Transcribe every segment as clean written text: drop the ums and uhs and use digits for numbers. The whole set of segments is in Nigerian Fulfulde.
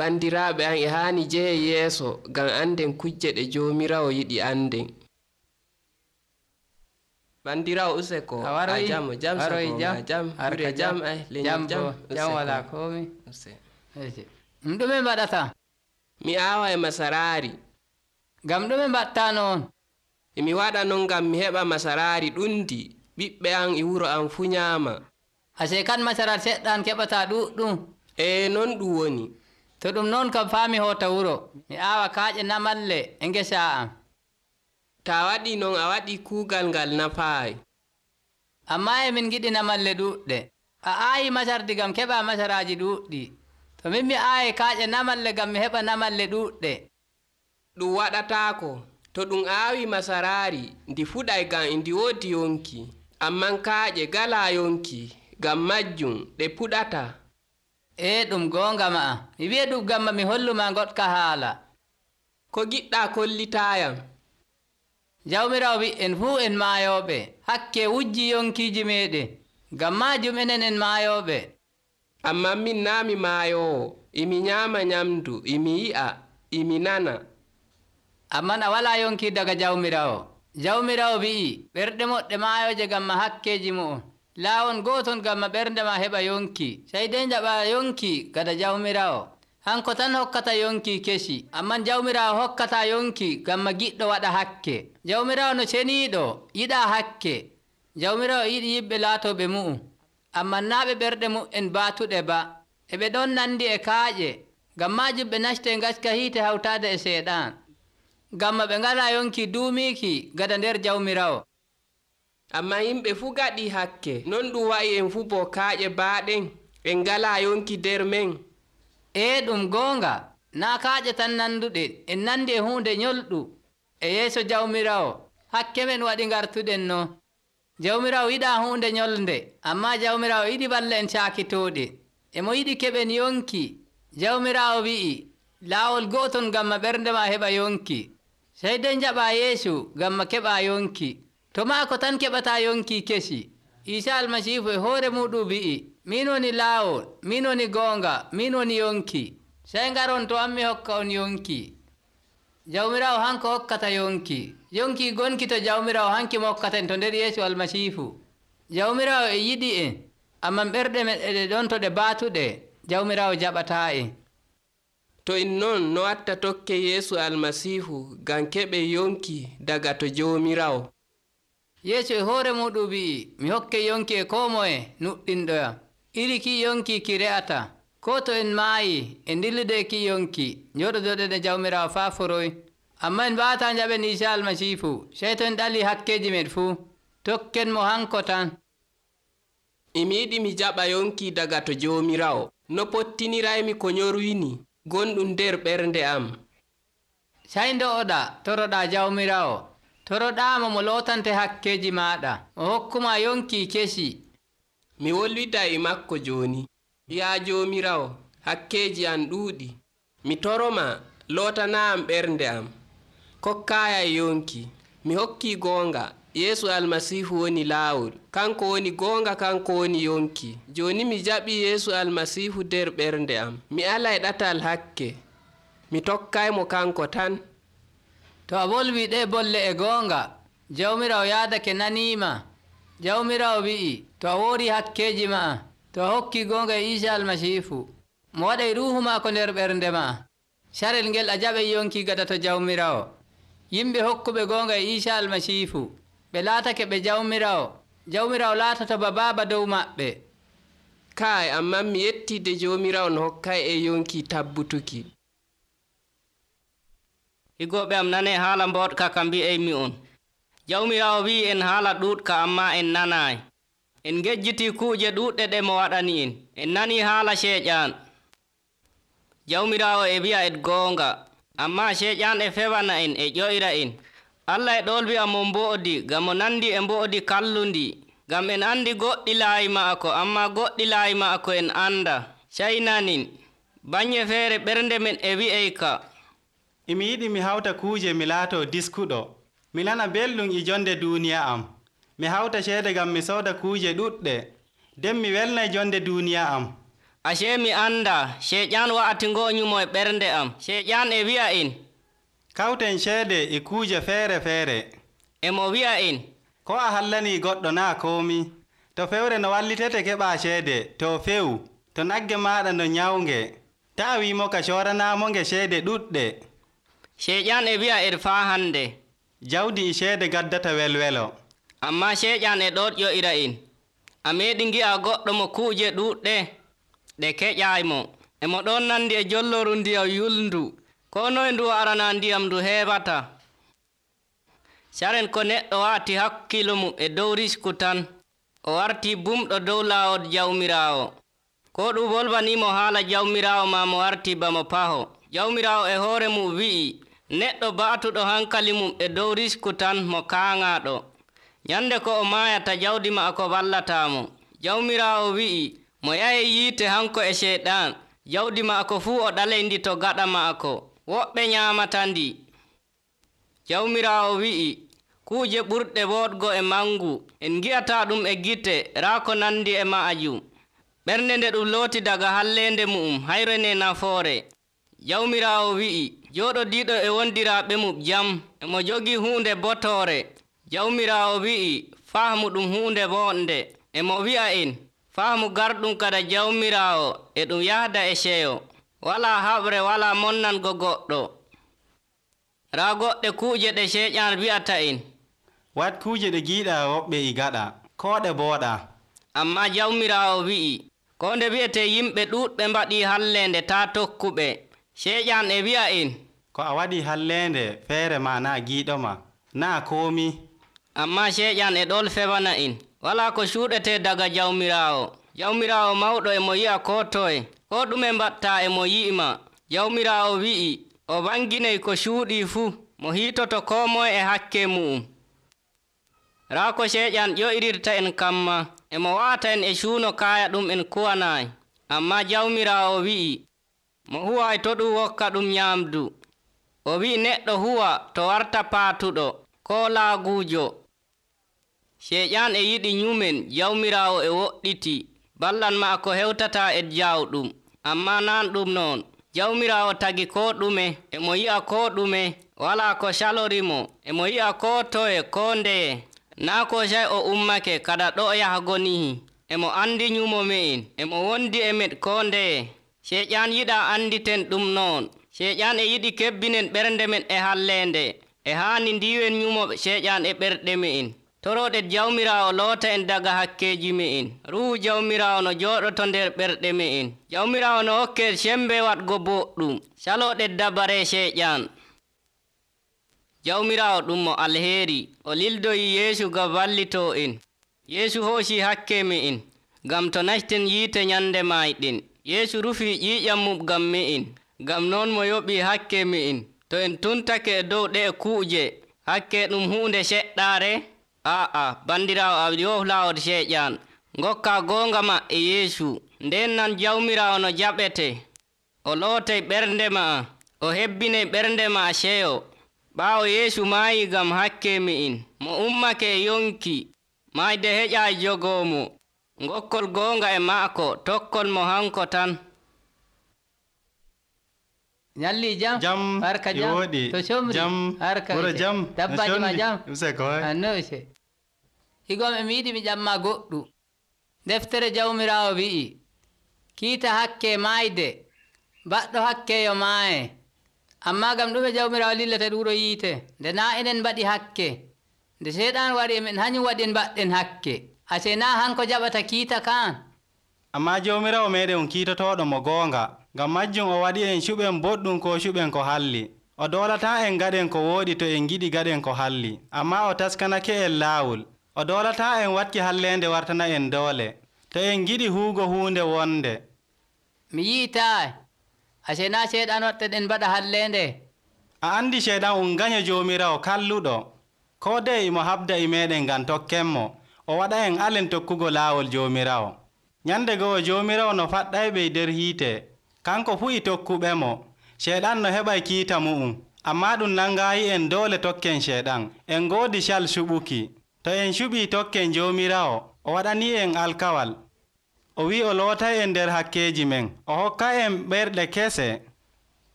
Bandiraaɓe am e haani jehe yeeso ngam anden kujje ɗe Joomiraawo yiɗi anden. Bandirawo useko a jam jam hure jam ay leñol jam wala komi ɗume mbaɗata? Mi aawa e masaraari. Ngam ɗume mbaɗta noon? Mi waɗa non ngam mi heɓa masaraari ɗundi ɓiɓɓe am e wuro am fu nyaama. Ase kan masaraari seɗɗan keɓata ɗuɗɗum? Non ɗum woni. To ɗum noon kam faami hoota wuro mi aawa kaaƴe namalle e ngesa am. Ta waɗi non a waɗi kuugal ngal nafaayi. Amma min giɗi namalle ɗuɗɗe. A aayi masardi gam keɓa masaraaji ɗuɗɗi. To min mi aayi kaaƴe namalle gam mi heɓa namalle ɗuɗɗe. Ɗum waɗataako. To ɗum aawi masaraari ndi fuɗay gam ndi woodi yonki. Amman kaaƴe galaa yonki gam majjum ɗe puɗata. Ɗum goonga ma'a. Mi wi'e ɗum gamma mi holluma goɗka haala. Ko giɗɗa kollitaayam? Jawmirawo wi'en fuu en maayooɓe hakke wujji yonkiiji meɗen ngam maajum enen en maayooɓe. Amman min naa mi maayoowo, imi nyaama nyamdu, imi yi'a, imi nana. Amman a walaa yonki daga Jawmirawo. Jawmirawo wi'i ɓerɗe moɗɗe maayooje gamma hakkeeji mu'um. Laawon gooton gamma ɓernde ma heɓa yonki. Sey dey jaɓa yonki gada Jawmirawo. Hanko tan hokkata yonki kesi, amman Jawmirawo hokkata yonki gamma giɗɗo waɗa hakke. Jawmirawo no ceniiɗo yiɗa hakke. Jawmirawo yiɗi yimɓe laatoɓe mu'um, amman naa ɓe ɓerɗe mu'en baatuɗe ba. Ɓe ɗon nandi e kaaƴe, ngam maajum ɓe nasti ngaska hiite hawtaade e seeɗan. Gamma ɓe ngala yonki duumiiki gada nder Jawmirawo. Amma yimɓe fuu gaɗi hakke, non ɗum wa'i en fuu bo kaaƴe baaɗen en ngala yonki nder men. Ɗum goonga, naa kaaƴe tan nanduɗe, en nandi e huunde nyolɗu e yeeso Jawmirawo. Hakke men waɗi ngartuɗen no. Jawmirawo yiɗa huunde nyolnde, amma Jawmirawo yiɗi balla en caakitooɗe. Emo yiɗi keɓen yonki. Jawmirawo wi'i laawol gooton gamma ɓernde ma heɓa yonki. Sey dey jaɓa Yeesu gamma keɓa yonki. To maako tan keɓata yonki kesi. Iisa Almasiihu e hoore muɗum wi'i min woni laawol, min woni goonga, min woni yonki. Sey ngaron to an mi hokka on yonki. Jawmirawo hanko hokkata yonki. Yonki gonki to Jawmirawo hanki mo hokkaten to nder Yeesu Almasiihu. Jawmirawo e yiɗi en, amman ɓerɗe men ɗe ɗon to ɗe baatuɗe Jawmirawo jaɓataa en. To en non no watta tokke Yeesu Almasiihu ngam keɓe yonki daga to Jawmirawo. Yeesu e hoore muɗum wi'i mi hokke yonki e koo moye nuɗɗinɗoyam. Iri ki yonki ki re'ata. Ko to en maayi en dillude ki yonki njoɗodoɗen e Jawmirawo faa foroy. Amma en mbaataa njaɓen Iisa Almasiihu sey to en ɗali hakkeeji men fuu. Tokken mo hanko tan. Imi yiɗi mi jaɓa yonki daga to Jawmirawo. No pottiniraymi ko nyorwini gonɗum nder ɓernde am. Sey ndo'oɗa toroɗa Jawmirawo. Toroɗaamo mo lootante hakkeeji maaɗa. O hokkuma yonki kesi. Mi wolwida e makko jooni. Yaa Jawmirawo, hakkeeji am ɗuuɗi. Mi toroma lootana am ɓernde am. Kokkaaya yonki. Mi hokki goonga. Yeesu Almasiihu woni laawol. Kanko woni goonga, kanko woni yonki. Jooni mi jaɓi Yeesu Almasiihu nder ɓernde am. Mi alay ɗatal hakke. Mi tokkaymo kanko tan. To a wolwi ɗe bolle e goonga, Jawmirawo yaadake naniima. Jawmirawo wi'i to a woori hakkeeji ma'a, to a hokki goonga e Iisa Almasiihu, mo waɗay ruuhu maako nder ɓernde ma'a. Carel ngel a jaɓay yonki gada to Jawmirawo. Yimɓe hokkuɓe goonga e Iisa Almasiihu ɓe laatake ɓe Jawmirawo. Jawmirawo laatata ba baaba dow maɓɓe. Kaay amman mi yettide Jawmirawo no hokkay e yonki tabbutuki. Higoɓe am nane haala mboɗka ka mbi'aymi on. Jawmirawo wi'i en haala ɗuuɗka amma en nanaay. En ngejjiti kuuje ɗuuɗɗe ɗe mo waɗani en. En nani haala ceeƴan. Jawmirawo e wi'a en goonga, amma ceeƴan e fewana en e ƴoyra en. Allah e ɗolwi'a mo mbo'odi ngam mo nandi e mbo'odi kallundi. Ngam en andi goɗɗi laayi ma'ako, amma goɗɗi laayi ma'ako en anda. Caynanin, baŋnge feere ɓernde men e wi'eyka. Imi yiɗi mi hawta kuuje mi laato diskuɗo. Mi nana belɗum e jonde duuniya am. Mi hawta ceede ngam mi sooda kuuje ɗuɗɗe. Nden mi welnay jonde duuniya am. Acee mi anda Seeƴan wa'ati ngo'onyumo e ɓernde am. Seeƴan e wi'a en, kawten ceede e kuuje feere feere. emo wi'a en, ko a hallanii goɗɗo naa koomi. To fewre no wallitete keɓaa ceede, to few. To nagge maaɗa no nyawnge, taa wiimo ka cooranaamo-nge ceede ɗuɗɗe. Seeƴan e wi'a en faa hande, jawdi e ceede gaddata welwelo. amma Seeƴan e ɗoɗƴo'ira en. A meeɗi ngi'a goɗɗo mo kuuje ɗuuɗɗe ɗe keƴaymo. Emo ɗon nandi e jolloru ndiyam yulndu. Ko noye ndu arana ndiyam ndu heɓata. Saren ko neɗɗo wa'ati hakkilo mum e dow risku tan, o warti bumɗo dow laawol Jawmiraawo. Ko ɗum wolwanimo haala Jawmiraawo ma mo warti bamo paho. Jawmiraawo e hoore mum wi'i, neɗɗo ba'tuɗo hankali mum e dow risku tan mo kaaŋaaɗo. Nyande ko o maayata jawdi maako wallatamo. Jawmiraawo wi'i, mo yahe yiite hanko e Seeɗan, jawdi maako fuu o ɗaleyndi to gaɗa maako. Woɓɓe nyaamata ndi. Jawmiraawo wi'i, kuuje ɓurɗe woɗgo e mangu, en ngi'ata ɗum e gite raa ko nandi e maajum. Ɓernde nde ɗum looti daga hallende mu'um hayrene nafoore. Jawmiraawo wi'i, jooɗodiiɗo e wondiraaɓe mum jam, emo jogii huunde botoore. Jawmiraawo wi'i, fahmu ɗum huunde wonde. Emo wi'a en, fahmu garɗum kada Jawmiraawo e ɗum yahda e seyo. Walaa haɓre walaa monnango goɗɗo. Raa goɗɗe kuuje ɗe Seeƴan wi'ata en, wat kuuje ɗe giiɗaa woɓɓe e gaɗa, koo ɗe booɗa. amma Jawmiraawo wi'i, ko nde wi'ete yimɓe ɗuuɗɓe mbaɗii hallende taa tokkuɓe. Seeƴan e wi'a en, ko a waɗii hallende feere ma naa giiɗoma, naa koomi. amma Seeƴan e ɗol fewana en, walaa ko cuuɗete daga Jawmiraawo. Jawmiraawo mawɗo emo yi'a ko toye, ko ɗume mbatta emo yi'ima. Jawmiraawo wi'i, o wanginay ko cuuɗii fuu, mo hiitoto koo moye e hakke mu'um. Raa ko Seeƴan ƴo'irirta en kamma, emo wa'ata en e cuuno kaaya ɗum en kuwanaayi. Amma Jawmiraawo wi'i, mo huway to ɗum wokka ɗum nyaamdu. O wi'i neɗɗo huwa to warta paatuɗo, koo laaguujo. Seeƴan e yiɗi nyumen Jawmiraawo e woɗɗiti, ballan maako hewtata e jawɗum. Amma nan ɗum noon. Jawmiraawo tagi ko ɗume, emo yi'a ko ɗume, walaa ko salorimo, emo yi'a ko toye ko ndeye. Naa ko sey o ummake kada ɗo yahago nihi. Emo andi nyumo me'en, emo wondi e men ko ndeye. Seeƴan yiɗa anditen ɗum noon. Seeƴan e yiɗi kebbinen ɓernde men e hallende. E haani ndiwen nyumo Seeƴan e ɓerɗe me'en. Toroɗen Jawmiraawo loota en daga hakkeji me'en. Ruuhu Jawmiraawo no jooɗoto nder ɓerɗe me'en. Jawmiraawo no hokke sembe waɗgo boɗɗum. Saloɗen dabare Seeƴan. Jawmiraawo ɗum mo alheri. O lildoyi Yeesu ngam wallito en. Yeesu hoosi hakke me'en, ngam to nasten yiite nyande mayɗen. Yeesu rufi ƴiiƴam mum ngam me'en, ngam noon mo yoɓi hakke me'en. To en tuntake e dow ɗe kuuje, hakke ɗum huunde seɗɗaare? Bandiraawo a yohlawol Seeƴan. Ngokka goonga ma e Yeesu. Nden nan Jawmiraawo no jaɓete. O lootay ɓernde ma, o hebbinay ɓernde ma seyo. Ɓaawo Yeesu maayi ngam hakke me'en, mo ummake e yonki, mayde heƴa jogoomo. Ngokkol goonga e maako, tokkol mo hanko tan. Nyalli jam harka jam woɗi to somri jam harka wuro jam dabbaji ma jam useko anno ise higom e mi yiɗi mi ƴamma goɗɗu. Deftere Jawmiraawo wi'i, kiita hakke maayde, baɗɗo hakke yo maaye. Amma gam ɗume Jawmiraawo lillata ɗuɗo yiite, nde naa enen mbaɗi hakke, nde Seeɗan wari emen hañum waɗi en mbaɗɗen hakke. Ase naa hanko jaɓata kiita kan. amma Jawmiraawo meɗen kiitotoɗo mo goonga, ngam majjum o waɗi en cuɓen boɗɗum ko cuɓen ko halli. O doolata en gaɗen ko wooɗi to en giɗi gaɗen ko halli, amma o taskanake en laawol. O doolata en watki hallende wartana en doole, to en giɗi huugo huunde wonde. Mi yi'itaay, ase naa Seeɗan waɗten mbaɗa hallende. A andi Seeɗan gaño Jawmiraawo kalluɗo, ko dey imo habda e meɗen ngam tokkenmo, o waɗa en alen tokkugo laawol Jawmiraawo. Nyande goo Jawmiraawo no faɗɗayɓe nder hiite, kanko fu e tokkuɓemo. Seeɗan no heɓay kiita mu'um, amma ɗum nangayi en doole tokken Seeɗan. En ngoodi cal suɓuki. To en cuɓi tokken Jawmiraawo, o waɗani en alkawal. o wi'i o lootay en nder hakkeeji men, o hokkay en ɓerɗe kese.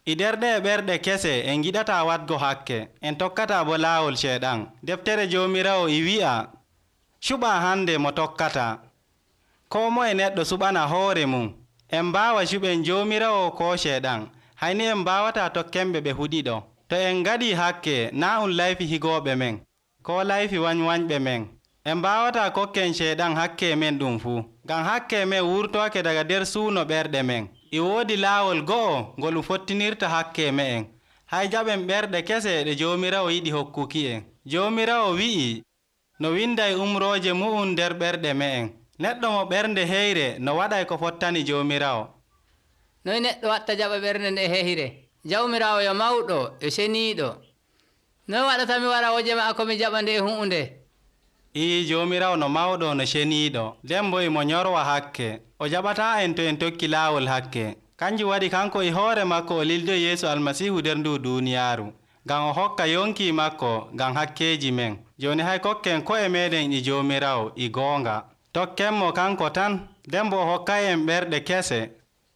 E nder ɗe ɓerɗe kese en giɗata waɗgo hakke, en tokkata bo laawol ceeɗan. Deftere Joomiraawo e wi'a, cuɓa hande mo tokkata. Koo moye neɗɗo suɓana hoore mum. En mbaawa cuɓen Joomiraawo koo ceeɗan, hayni en mbaawata tokkenɓe ɓe huɗiɗo. To en ngaɗii hakke, naa un layfi higooɓe men, koo layfi wanywanyɓe men. En mbaawata kokken ceeɗan hakke men ɗum fuu, ngam hakke men wurtoake daga nder suuno ɓerɗe men. E woodi laawol go'o ngol fottinirta hakke me'en. Hay jaɓen ɓerɗe kese ɗe Joomiraawo yiɗi hokkuki en. Joomiraawo wi'i, no winday umrooje mu'um nder ɓerɗe me'en. Neɗɗo mo ɓernde heyre no waɗay ko fottani Joomiraawo. Noy neɗɗo watta jaɓa ɓernde nde heyre? Jawmiraawo yo mawɗo yo seniiɗo. Noy waɗata mi wara woje maako mi jaɓa nde huunde? Joomiraawo no mawɗo no ceniiɗo, nden bo emo nyorwa hakke. O jaɓataa en to en tokki laawol hakke. Kanjum waɗi kanko e hoore makko o lildoyi Yeesu Almasiihu nder ndu duuniyaaru, ngam o hokka yonki makko ngam hakkeeji men. Jooni hay kokken ko'e meɗen e Joomiraawo e goonga. Tokkenmo kanko tan, nden bo o hokkay en ɓerɗe kese.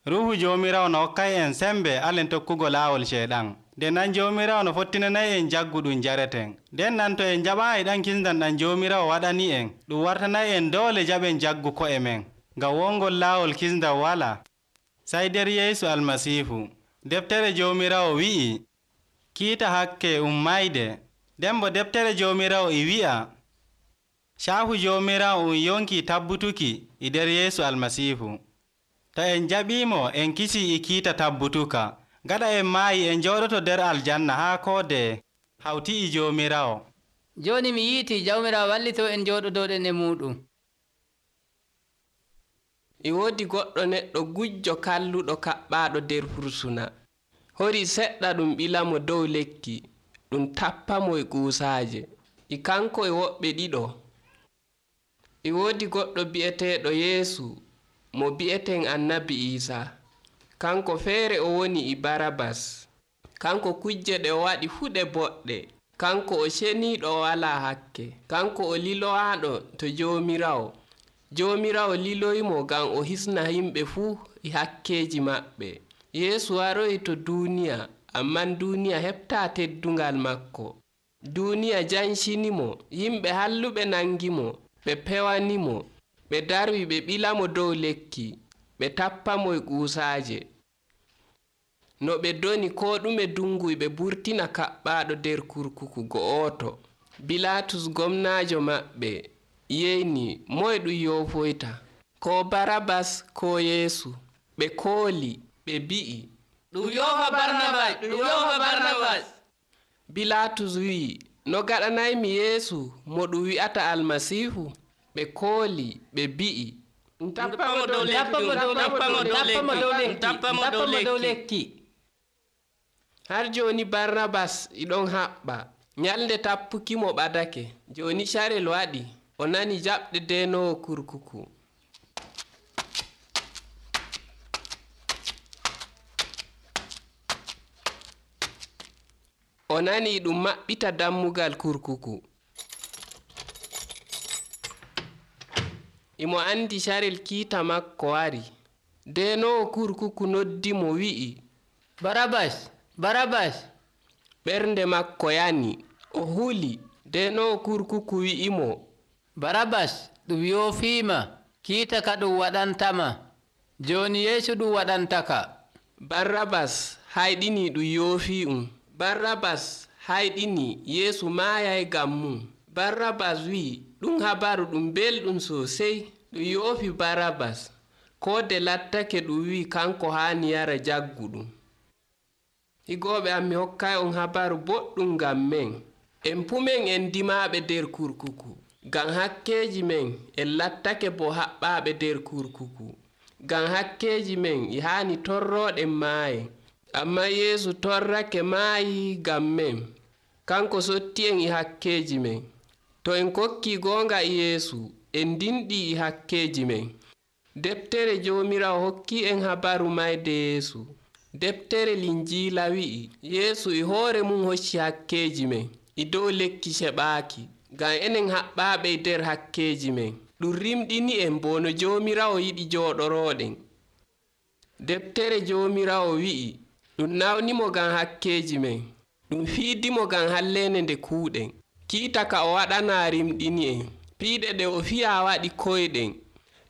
Ruuhu Joomiraawo no hokkay en sembe alen tokkugo laawol ceeɗan. Nden nan Joomiraawo no fottinanay en jaggu ɗum jareten. Nden nan to en jaɓaayi ɗan kisndam ɗam Joomiraawo waɗani en, ɗum wartanay en doole jaɓen jaggu ko'e men, ngam wongol laawol kisndam wala sai nder Yeesu Almasiihu. Deftere Joomiraawo wi'i, kiita hakke mayde. Nden bo deftere Joomiraawo e wi'a, caahu Joomiraawo yonki tabbutuki e nder Yeesu Almasiihu. To en jaɓiimo en kisii e kiita tabbutuka. Gaɗa en maayi en jooɗoto nder aljanna haa koode hawti e Joomiraawo. Jooni mi yiiti Jawmiraawo wallito en jooɗodoɗen e muɗum. E woodi goɗɗo neɗɗo gujjo kalluɗo kaɓɓaaɗo nder fursuna. Hori seɗɗa ɗum ɓilamo dow lekki, ɗum tappamo e kuusaaje. E kanko e woɓɓe ɗiɗo. E woodi goɗɗo bi'eteeɗo Yeesu mo bi'eten Annabi Iisaa. Kanko feere o woni e Barabas. Kanko kujje ɗe o waɗi fuu ɗe boɗɗe. Kanko o ceniiɗo o walaa hakke. Kanko o lilowaaɗo to Joomiraawo. Joomiraawo liloyimo ngam o hisna yimɓe fuu e hakkeeji maɓɓe. Yeesu waroyi to duuniya, amman duuniya heɓtaa teddungal makko. Duuniya jancinimo, yimɓe halluɓe nangimo, ɓe pewanimo, ɓe darwi ɓe ɓilamo dow lekki, ɓe tappamo e kuusaaje. No ɓe doni ko ɗume dunguy ɓe burtina kaɓɓaaɗo nder kurkuku go'oto. Bilatus gomnaajo maɓɓe yeyni moye ɗum yofoyta, ko Barabas ko Yeesu. Ɓe kooli ɓe bi'i, ɗum yofa Barnabas, ɗum yofa Barnabas. Bilatus wi'i, no gaɗanaymi Yeesu mo ɗum wi'ata Almasiihu? Ɓe kooli ɓe bi'i, tappamo dow lekki. Har jooni Barnabas iɗon haɓɓa. Nyalnde tappuki mo ɓadake. Jooni carel waɗi, o nani jaɓde denowo kurkuku. O nani ɗum maɓɓita dammugal kurkuku. Imo andi carel kiita makko wari. Denowo kurkuku noddi mo wi'i, Barabas, Barabas. Ɓernde makko yani. O huli. Denowo kurkuku wi'imo, Barabas ɗum yofiima, kiita ka ɗum waɗantama. Jooni Yeesu ɗum waɗantaka. Barnabas hayɗini ɗum yoofi'um. Barnabas hayɗini Yeesu maayay ngam mum. Barnabas wi'i ɗum habaru ɗum belɗum sosai. Ɗum yoofi Barnabas. Koode lattake ɗum wi'i kanko haani yara jaggu ɗum. Higooɓe am, mi hokkay on habaru boɗɗum ngam men. En pumen en dimaaɓe nder kurkuku. Ngam hakkeeji men en lattake bo haɓɓaaɓe nder kurkuku. Ngam hakkeeji men e haani torrooɗen maaye. Amma Yeesu torrake maayi ngam men. Kanko sotti en e hakkeeji men. To en kokki goonga e Yeesu, en dinɗi e hakkeeji men. Deftere Joomiraawo hokki en habaru mayde Yeesu. Deftere Linjiila wi'i Yeesu e hoore mum hocci hakkeeji men e dow lekki ceɓaaki, ngam enen haɓɓaaɓe nder hakkeeji men. ɗum rimɗini en bo no Joomiraawo yiɗi jooɗorooɗen. Deftere Joomiraawo wi'i ɗum nawnimo ngam hakkeeji men, ɗum fiidimo ngam halleende nde kuuɗen. Kiita ka o waɗanaa rimɗini en, piiɗe ɗe o fiyaa waɗi koyɗen,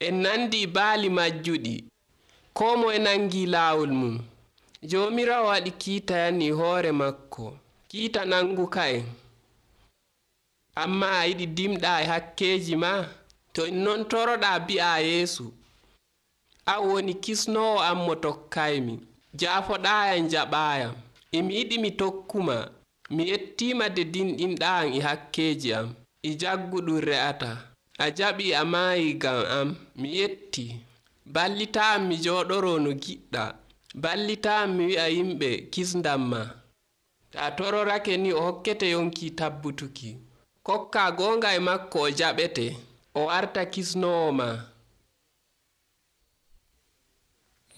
en nandi baali majjuɗi, koo moye nangi laawol mum. Joomiraawo waɗi kiita yanni hoore makko, kiita nanguka en. Amma a yiɗi dimɗaa e hakkeeji ma? To en non toroɗaa bi'aa Yeesu, an woni kisnoowo am mo tokkaymi, jaafoɗaayam jaɓaayam. Emi yiɗi mi tokkuma, mi yettiima de dinɗinɗaa am e hakkeeji am, e jagguɗum re'ata. A jaɓii a maayii ngam am, mi yettii. Ballitaa mi jooɗoroo no giɗɗa, ballitaa mi wi'a yimɓe kisndam ma. Ta a tororake ni o hokkete yonki tabbutuki. Kokkaa goonga e makko o jaɓete, o warta kisnoowo ma.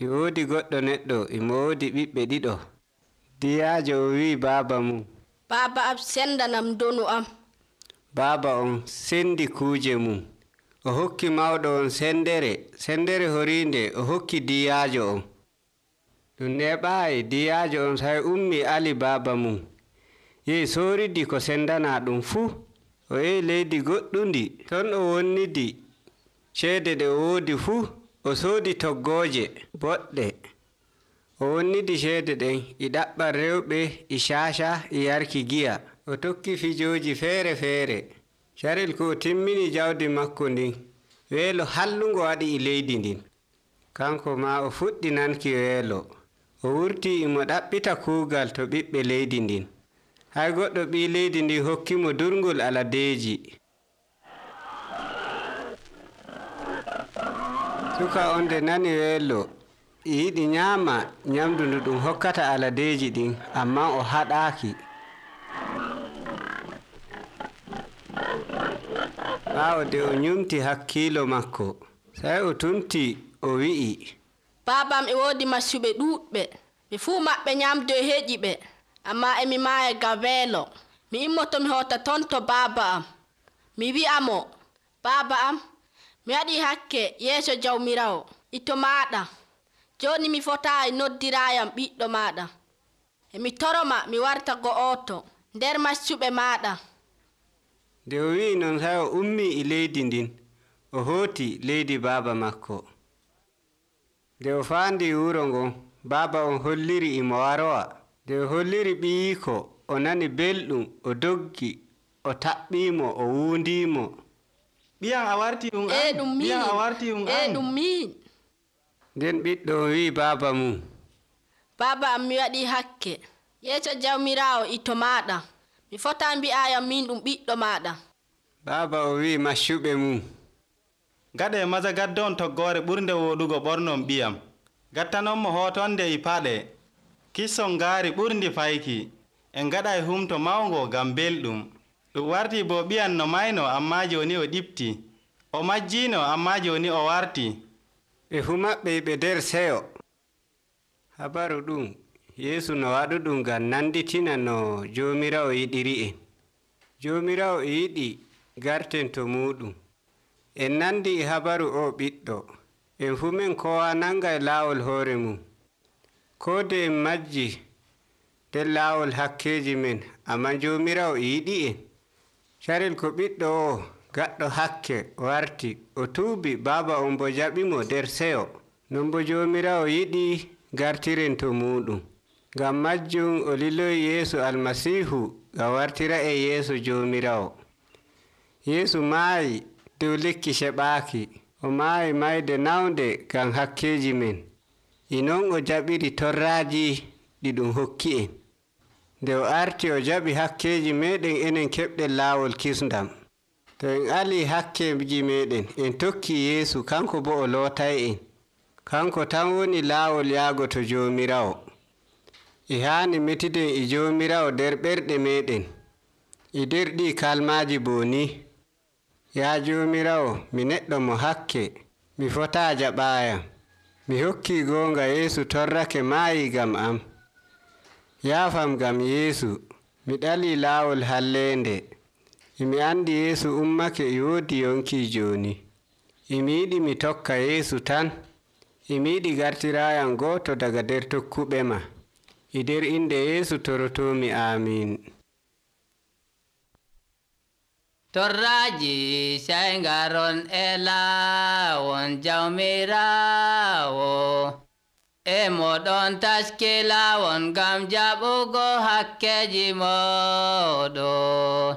E woodi goɗɗo neɗɗo emo woodi ɓiɓɓe ɗiɗo. Diyaajo o wi'i baaba mum, baaba am sendanam donu am. baaba on sendi kuuje mum. O hokki mawɗo on sendere horiinde o hokki diyaajo on. Ɗum neeɓaayi, diyaajo on sai ummi ali baaba mum, yehi sooridi ko sendanaa ɗum fuu. O yehi leydi goɗɗundi, ton o wonnidi ceede ɗe o woodi fuu. O soodi toggooje boɗɗe. O wonnidi ceede ɗen e ɗaɓɓal rewɓe e caca e yarki giya. O tokki fijooji feere-feere. Carel ko o timmini jawdi makko ndin, weelo hallungo waɗi e leydi ndin. Kanko ma o fuɗɗi nanki weelo. O wurti imo ɗaɓɓita kuugal to ɓiɓɓe leydi ndin. Hay goɗɗo ɓii leydi ndin hokkimo durngol aladeeji. Suka on nde nani weelo, e yiɗi nyaama nyamdu ndu ɗum hokkata aladeeji ɗin, amma o haɗaaki. Ɓaawo de o nyumti hakkiilo makko, sai o tumti o wi'i, Baabam e woodi maccuɓe ɗuuɗɓe, ɓe fuu maɓɓe nyamdu e heƴi ɓe, amma emi maaya ngam weelo. Mi immoto mi hota ton to baaba am. Mi wi'a mo, baaba am, mi waɗii hakke yeeso Jawmirawo, ito maaɗa. Jooni mi fotaayi noddiraayam ɓiɗɗo maaɗa. Emi toroma mi warta go'oto nder maccuɓe maaɗa. Nde o wi'i non sai o ummi e leydi ndin, o hooti leydi baaba makko. Nde o faandi wuro ngon, baaba on holliri imo warowa. Nde o holliri ɓiyiiko, o nani belɗum, o doggi, o taɓɓiimo, o wuundiimo. Ɓiyam a warti ɗum an? Ɓiyam a warti ɗum an? Ɗum min. Nden ɓiɗɗo o wi'i baaba mum, baaba am mi waɗii hakke yeeso Jawmiraawo ito maaɗa. Mi fotaa mbi'ayam min ɗum ɓiɗɗo maaɗa. baaba o wi'i maccuɓe mum, Gaɗe maza gaddon toggoore ɓurnde woɗugo ɓornon ɓiyam. Gattanonmo hootonde e paɗe. Kisson ngaari ɓurndi fayki. En gaɗay humto mawngo ngam belɗum. Ɗum warti bo ɓiyan no mayno amma joni o ɗifti. O majjiino amma joni o warti. ɓe fuu maɓɓe ɓe nder seyo. Habaru ɗum Yeesu no waɗuɗum ngam nanditina no Joomiraawo yiɗiri en. Joomiraawo e yiɗi garten to muɗum. En nandi e habaru o ɓiɗɗo. En fuu men kowa nangay laawol hoore mum. Koode en majji nder laawol hakkeeji men, amma Joomiraawo e yiɗi en. Carel ko ɓiɗɗo o gaɗɗo hakke warti, o tuubi, baaba on bo jaɓimo nder seyo. Non bo Joomiraawo yiɗi gartiren to muɗum. Ngam majjum o liloyi Yeesu Almasiihu ngam wartira en yeeso Joomiraawo. Yeesu maayi dow lekki seɓaaki. O maayi mayde nawnde ngam hakkeeji men. E non o jaɓiri torraaji ɗi ɗum hokki en. Nde o arti o jaɓi hakkeeji meɗen enen keɓɗen laawol kisndam. To en alii hakkeeji meɗen, en tokki Yeesu, kanko bo o lootay en. Kanko tan woni laawol yaago to Joomiraawo. E haani metiden e Joomiraawo nder ɓerɗe meɗen. E nder ɗi kalmaaji bo ni, yaa Joomiraawo, mi neɗɗo mo hakke, mi fotaa jaɓaayam. Mi hokkii goonga Yeesu torrake maayi ngam am. Yaafam ngam Yeesu, mi ɗalii laawol halleende. E mi andi Yeesu ummake e woodi yonki jooni. emi yiɗi mi tokka Yeesu tan. Emi yiɗi gartirayam gooto daga nder tokkuɓe ma. E nder inde Yeesu torotomi. Amiin. Torraji sai ngaron e laawon jawmirawo, e moɗon taski laawon ngam jaɓugo hakkeji moɗon.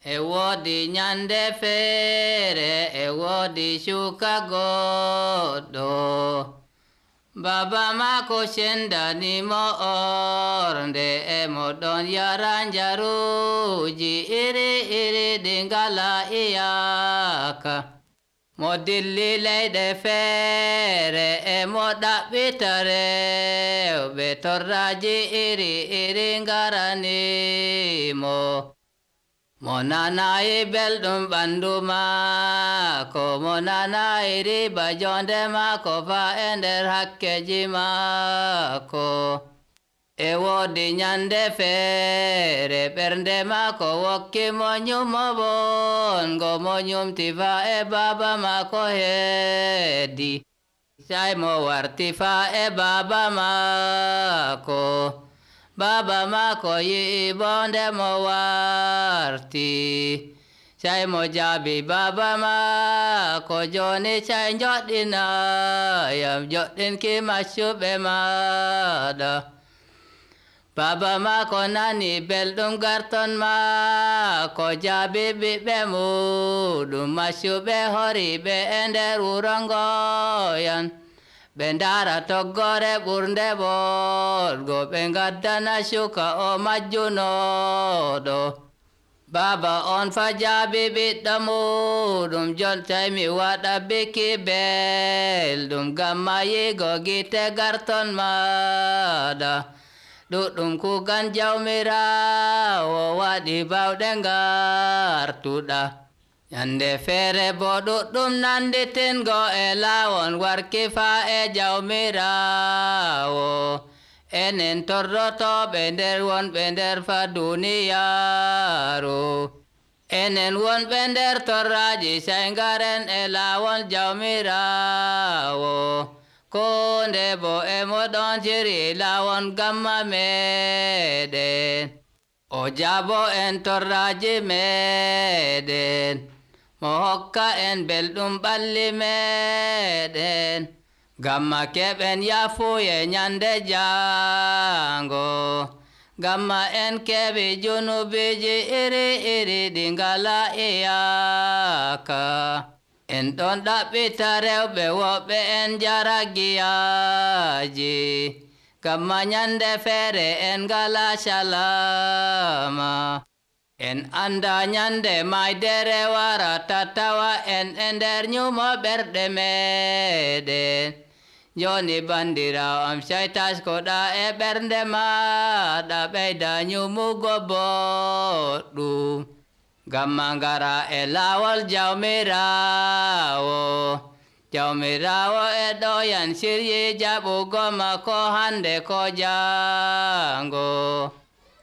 E woodi nyande feere, e woodi shuka goɗɗo, baba maako sendanimo ornde, e moɗon yara njaruji iri ɗi ngala iyaka. Mo dilli leyɗe feere, e mo ɗaɓɓita rewɓe, torraji iri ngaranimo. Mo nanayi belɗum ɓandu maako, mo nanayi riba jonde maako fa e nder hakkeji maako. E woodi nyande feere, ɓernde maako wokki mo nyumo bongo, mo nyumti fa e baba maako heddi. Sai mo warti fa e baba maako. Baba maako yi'i bonde mo warti. Sai mo jaabi baba maako, joni sai joɗɗinayam joɗɗinki maccuɓe maɗa. Baba maako nani belɗum garton maako, jaabi ɓiɓɓe muɗum maccuɓe horiɓe e nder wuro ngoyan. Ɓe ndara toggore ɓurnde boɗgo, ɓe ngaddana shuka o majjunoɗo. Baba on fa jaabi ɓiɗɗo muɗum, jontai mi waɗa biki belɗum ngam mayigo gite garton maɗa. Ɗuɗɗum kugan jawmirawo waɗi bawɗe ngartuɗa. Nyande feere bo ɗuɗɗum nanditingo e laawon warki fa e jawmirawo. Enen torrotoɓe nder wonɓe nder fa duniyaaru. Enen wonɓe nder torraji sai ngaren e laawol jawmirawo. Konde bo e moɗon jiri laawon gamma meɗen. O jaabo en torraji meɗen, mo hokka en belɗum ɓalli meɗen, gamma keɓen yafuye nyande jango, gamma en keɓi junubiji iri ɗi ngala iyaka. En ɗon ɗaɓɓita rewɓe woɓɓe en jara giyaji, gamma nyande feere en ngala salama. En anda nyande maydere wara tattawa en e nder nyumo ɓerɗe meɗen. Joni bandirawo am sai taskoɗa e ɓernde maɗa, ɓeyda nyumugo boɗɗum, gamma ngara e laawol jawmirawo. Jawmirawo e ɗoyan siryi jaɓugo makko hande ko jango.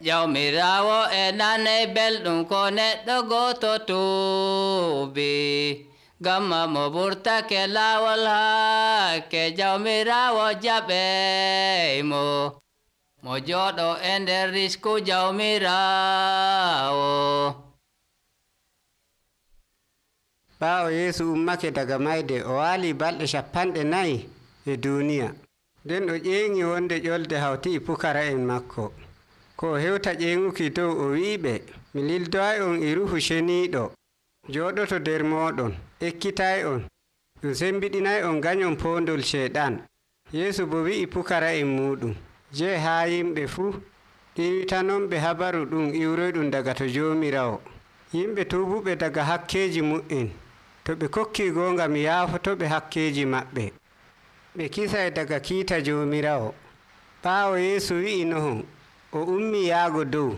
Jawmirawo e nanay belɗum ko neɗɗo goto tuubi, gamma mo ɓurtake laawol hakke jawmirawo jaɓeymo. Mo jooɗo e nder risku jawmirawo. Ɓaawo Yeesu ummake daga mayde, o waali balɗe 40 e duniya. Nden o ƴeeŋi wonde ƴolde hawti e pukara'en makko. Ko o hewta ƴeeŋuki dow o wi'iɓe, mi lildoay on e Ruuhu Ceniiɗo jooɗoto nder mooɗon, ekkitay on, ɗum sembiɗinay on ganyon poondol Ceyɗan. Yeesu bo wi'i pukara'en muɗum, jee haa yimɓe fuu, ɗiwitanonɓe habaru ɗum iwroyɗum daga to Joomiraawo. Yimɓe tuubuɓe daga hakkeeji mu'en, to ɓe kokki goonga mi yaafotoɓe hakkeeji maɓɓe. Ɓe kisay daga kiita Joomiraawo. Ɓaawo Yeesu wi'i nohon, o ummi yaago dow.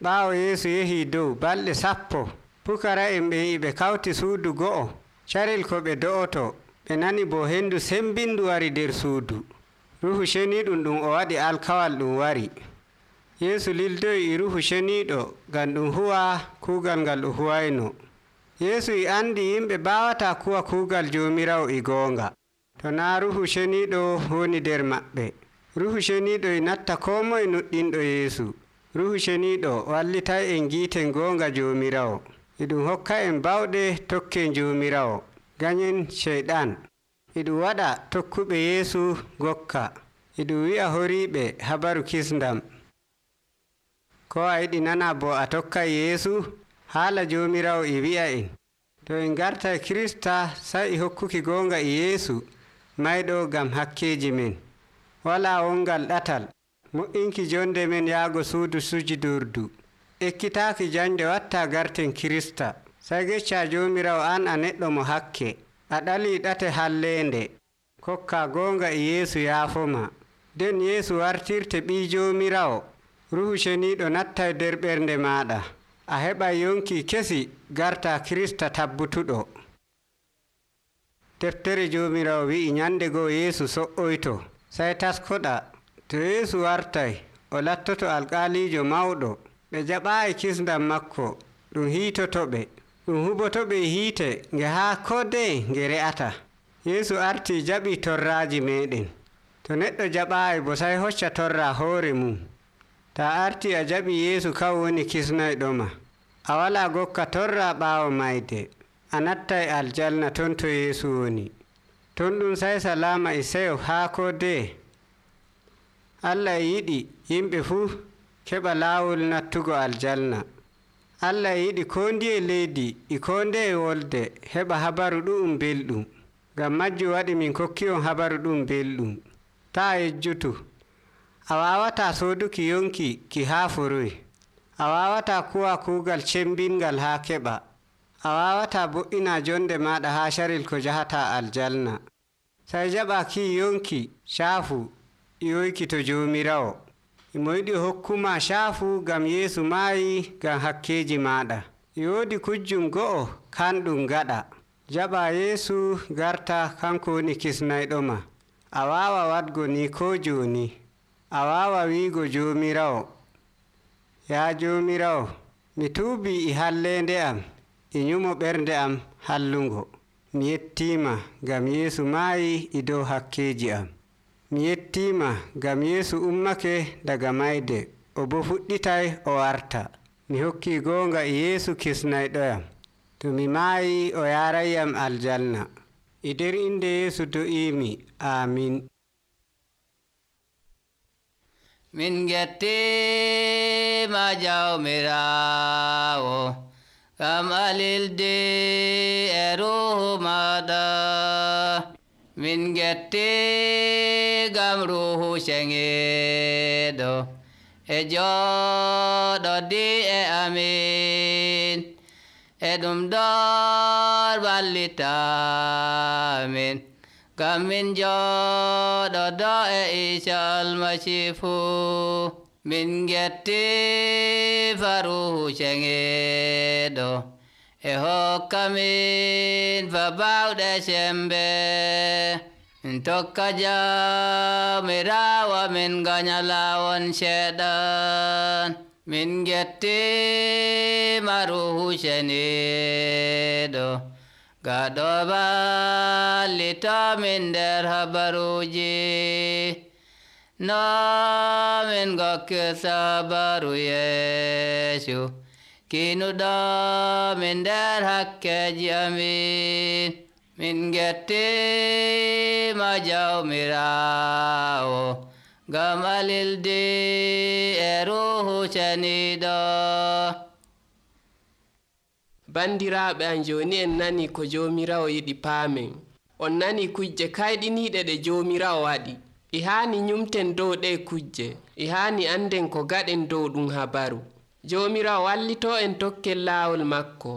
Ɓaawo Yeesu yehii dow balɗe 10, pukara'en ɓen e ɓe kawti suudu go'o. Carel ko ɓe do'oto, ɓe nani bo hendu sembindu wari nder suudu. Ruuhu Ceniiɗum ɗum o waɗi alkawal ɗum wari. Yeesu lildoyi e Ruuhu Ceniiɗo ngam ɗum huwa kuugal ngal o huwayno. Yeesu e andi yimɓe baawata kuwa kuugal Joomiraawo e goonga, to naa Ruuhu Ceniiɗo woni nder maɓɓe. Ruuhu Ceniiɗo e natta koo moye nuɗɗinɗo Yeesu. Ruuhu Ceniiɗo wallitay en giiten goonga Joomiraawo. E ɗum hokka en bawɗe tokken Joomiraawo, ganyen Ceyɗan. E ɗum waɗa tokkuɓe Yeesu gokka. E ɗum wi'a horiiɓe habaru kisndam. Ko a yiɗi nana bo a tokkay Yeesu? Haala Joomiraawo e wi'a en, to en gartay Kirista sai e hokkuki goonga e Yeesu mayɗo ngam hakkeeji men. Walaa wongal ɗatal, mo'inki jonde men yaago suudu sujudurdu. Ekkitaaki jande watta garten Kirista. Sai gecca Joomiraawo an a neɗɗo mo hakke. A ɗalii ɗate halleende. Kokka goonga e Yeesu yaafoma. Nden Yeesu wartirte ɓii Joomiraawo. Ruuhu Ceniiɗo nattay nder ɓernde maaɗa. A heɓay yonki kesi garta Kirista tabbutuɗo. Deftere Joomiraawo wi'i nyande goo Yeesu so'oyto. Sai taskoɗa, to Yeesu wartay, o lattoto alƙaaliijo mawɗo. Ɓe jaɓaayi kisndam makko, ɗum hiitotoɓe. Ɗum hubotoɓe e hiite nge haa ko dey nge re'ata. Yeesu artii jaɓii torraaji meeɗen. To neɗɗo jaɓaayi bo sai hocca torra hoore mum. Ta arti a jaɓi Yeesu kan woni kisnayɗoma. A walaa gokka torra ɓaawo mayde. A nattay aljanna ton to Yeesu woni. Ton ɗum sai salaama e seyo haa ko de. Allah e yiɗi yimɓe fuu keɓa laawol nattugo aljanna. Allah e yiɗi koo ndiye leydi e koo ndeye wolde heɓa habaru ɗu'um belɗum. Ngam majjum waɗi min kokki on habaru ɗum belɗum. Taa yejjutu. A waawataa sooduki yonki ki haa foroy. A waawataa kuwa kuugal cembingal haa keɓa. A waawataa bo'ina jonde maaɗa haa caril ko jahataa aljanna. Sai jaɓa ki yonki caafu iyoyki to Joomiraawo. Imo yiɗi hokkuma caafu ngam Yeesu maayi ngam hakkeeji maaɗa. E woodi kujjum go'o kanɗum gaɗa. Jaɓa Yeesu garta kanko woni kisnayɗoma. A waawa waɗgo ni ko jooni. A waawa wiigo Joomiraawo, yaa Joomiraawo, mi tuubii e halleende am e nyumo ɓernde am hallungo. Mi yettiima ngam Yeesu maayi e dow hakkeeji am. Mi yettiima ngam Yeesu ummake daga mayde, o bo fuɗɗitay o warta. Mi hokkii goonga e Yeesu kisnayɗoyam. To mi maayi o yaarayyam aljanna. E nder inde Yeesu do'iimi. Aamin. Min gettima Jawmiraawo, ngam alilde e Ruuhu maɗa. Min getti ngam Ruuhu Ceniiɗo e jooɗodi e amin. E ɗum ɗon wallitamin, ngam min jooɗodo e Iisa Almasiihu. Min gettima Ruuhu Ceniiɗo e hokkamin fa bawɗe sembe. Min tokka Jawmiraawo min ganya laawol seeɗan. Min gettima Ruuhu Ceniiɗo gaɗo wallitomin nder habaruuji. No min gokkirta habaru Yeesu, kinuɗo min nder hakkeji amin. Min gettima Jawmiraawo, ngam alildi e Ruuhu Ceniiɗo. Bandiraaɓe am, jooni en nani ko Joomiraawo yiɗi paamen. On nani kujje kayɗiniiɗe ɗe Joomiraawo waɗi. E haani nyumten dow ɗe kujje. E haani anden ko gaɗen dow ɗum habaru. Joomiraawo wallito en tokken laawol makko.